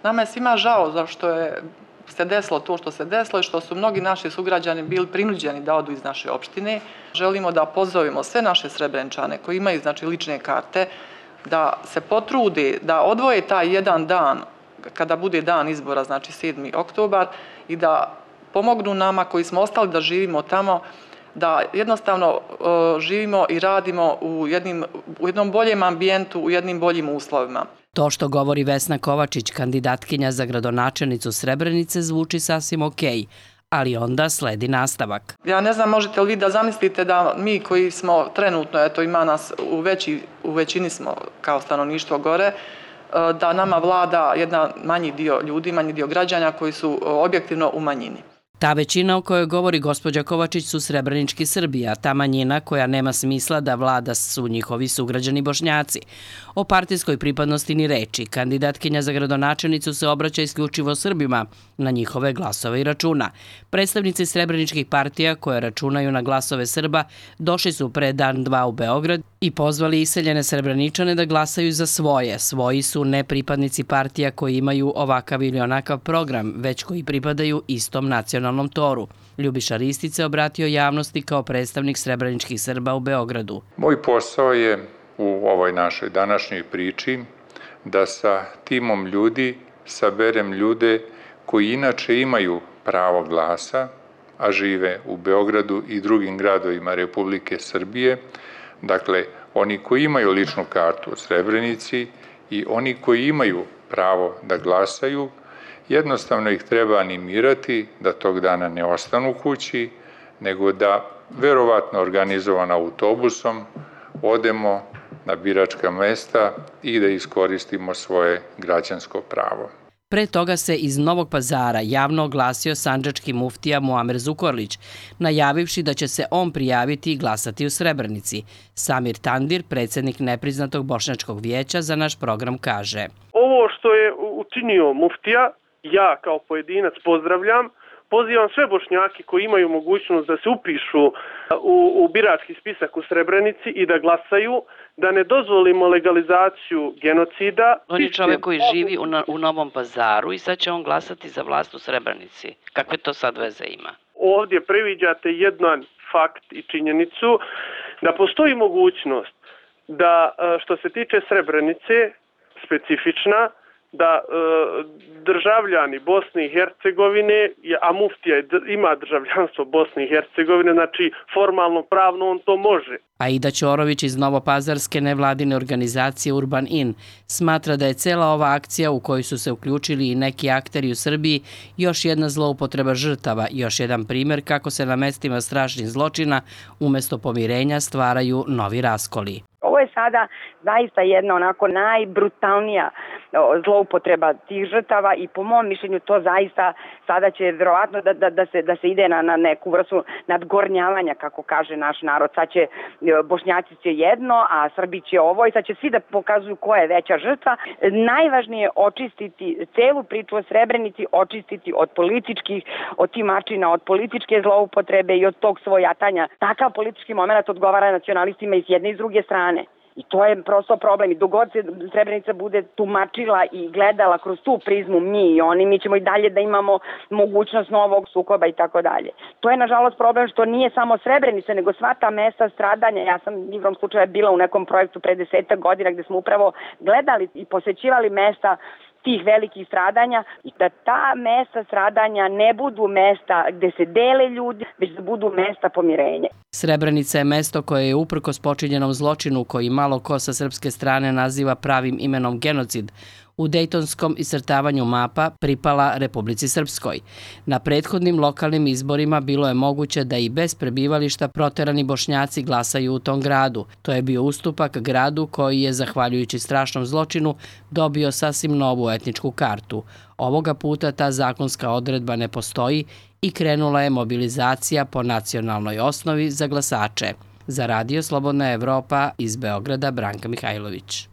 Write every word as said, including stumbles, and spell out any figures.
Nama je svima žao zašto je se desilo to što se desilo i što su mnogi naši sugrađani bili prinuđeni da odu iz naše opštine. Želimo da pozovemo sve naše Srebreničane koji imaju znači lične karte da se potrude da odvoje taj jedan dan kada bude dan izbora, znači sedmi oktobar, i da pomognu nama koji smo ostali da živimo tamo, da jednostavno uh, živimo i radimo u, jednim, u jednom boljem ambijentu, u jednim boljim uslovima. To što govori Vesna Kovačić, kandidatkinja za gradonačelnicu Srebrenice, zvuči sasvim okej, ali onda sledi nastavak. Ja ne znam, možete li vi da zamislite da mi koji smo trenutno, eto ima nas u, veći, u većini smo kao stanovništvo gore, da nama vlada jedan manji dio ljudi, manji dio građana koji su objektivno u manjini. Ta većina o kojoj govori gospođa Kovačić su srebrenički Srbi, a ta manjina koja nema smisla da vlada su njihovi sugrađani Bošnjaci. O partijskoj pripadnosti ni reči. Kandidatkinja za gradonačelnicu se obraća isključivo Srbima, na njihove glasove i računa. Predstavnici srebreničkih partija koje računaju na glasove Srba došli su pre dan dva u Beograd i pozvali iseljene Srebreničane da glasaju za svoje. Svoji su ne pripadnici partija koji imaju ovakav ili onakav program, već koji pripadaju istom nacionalnom toru. Ljubiša Ristić se obratio javnosti kao predstavnik srebreničkih Srba u Beogradu. Moj posao je u ovoj našoj današnjoj priči da sa timom ljudi saberem ljude koji inače imaju pravo glasa, a žive u Beogradu i drugim gradovima Republike Srbije, dakle, oni koji imaju ličnu kartu u Srebrenici i oni koji imaju pravo da glasaju, jednostavno ih treba animirati da tog dana ne ostanu kući, nego da, verovatno organizovan autobusom, odemo na biračka mesta i da iskoristimo svoje građansko pravo. Pre toga se iz Novog Pazara javno oglasio sandžački muftija Muamer Zukorlić, najavivši da će se on prijaviti i glasati u Srebrenici. Samir Tandir, predsjednik nepriznatog Bošnjačkog vijeća, za naš program kaže: Ovo što je učinio muftija, ja kao pojedinac pozdravljam. Pozivam sve Bošnjaki koji imaju mogućnost da se upišu u, u birački spisak u Srebrenici i da glasaju, da ne dozvolimo legalizaciju genocida. On je čovjek koji živi u, na, u Novom Pazaru i sad će on glasati za vlast u Srebrenici. Kakve to sad veze ima? Ovdje previđate jedan fakt i činjenicu da postoji mogućnost da, što se tiče Srebrenice, specifična, da e, državljani Bosne i Hercegovine, a muftija ima državljanstvo Bosne i Hercegovine, znači formalno pravno on to može. Aida Ćorović iz Novopazarske nevladine organizacije Urban In smatra da je cela ova akcija u kojoj su se uključili i neki akteri u Srbiji još jedna zloupotreba žrtava, još jedan primjer kako se na mestima strašnih zločina umjesto pomirenja stvaraju novi raskoli. Ovo je sada zaista jedna onako najbrutalnija zloupotreba tih žrtava i po mom mišljenju to zaista sada će vjerovatno da, da, da, se, da se ide na, na neku vrstu nadgornjavanja, kako kaže naš narod. Sad će Bošnjaci će jedno, a Srbi će ovo i sad će svi da pokazuju ko je veća žrtva. Najvažnije je očistiti celu priču o Srebrenici, očistiti od političkih, od timačina, od političke zloupotrebe i od tog svojatanja. Takav politički moment odgovara nacionalistima iz jedne i s druge strane. I to je prosto problem. I dogod se Srebrenica bude tumačila i gledala kroz tu prizmu mi i oni, mi ćemo i dalje da imamo mogućnost novog sukoba i tako dalje. To je nažalost problem što nije samo Srebrenica, nego sva ta mesta stradanja. Ja sam igrom slučaja bila u nekom projektu pre desetak godina gde smo upravo gledali i posećivali mesta tih velikih stradanja i da ta mesta stradanja ne budu mesta gde se dele ljudi, već da budu mesta pomirenja. Srebrenica je mesto koje je uprkos počinjenom zločinu koji malo ko sa srpske strane naziva pravim imenom genocid, u dejtonskom iscrtavanju mapa pripala Republici Srpskoj. Na prethodnim lokalnim izborima bilo je moguće da i bez prebivališta proterani Bošnjaci glasaju u tom gradu. To je bio ustupak gradu koji je, zahvaljujući strašnom zločinu, dobio sasvim novu etničku kartu. Ovoga puta ta zakonska odredba ne postoji i krenula je mobilizacija po nacionalnoj osnovi za glasače. Za Radio Slobodna Evropa iz Beograda, Branka Mihajlović.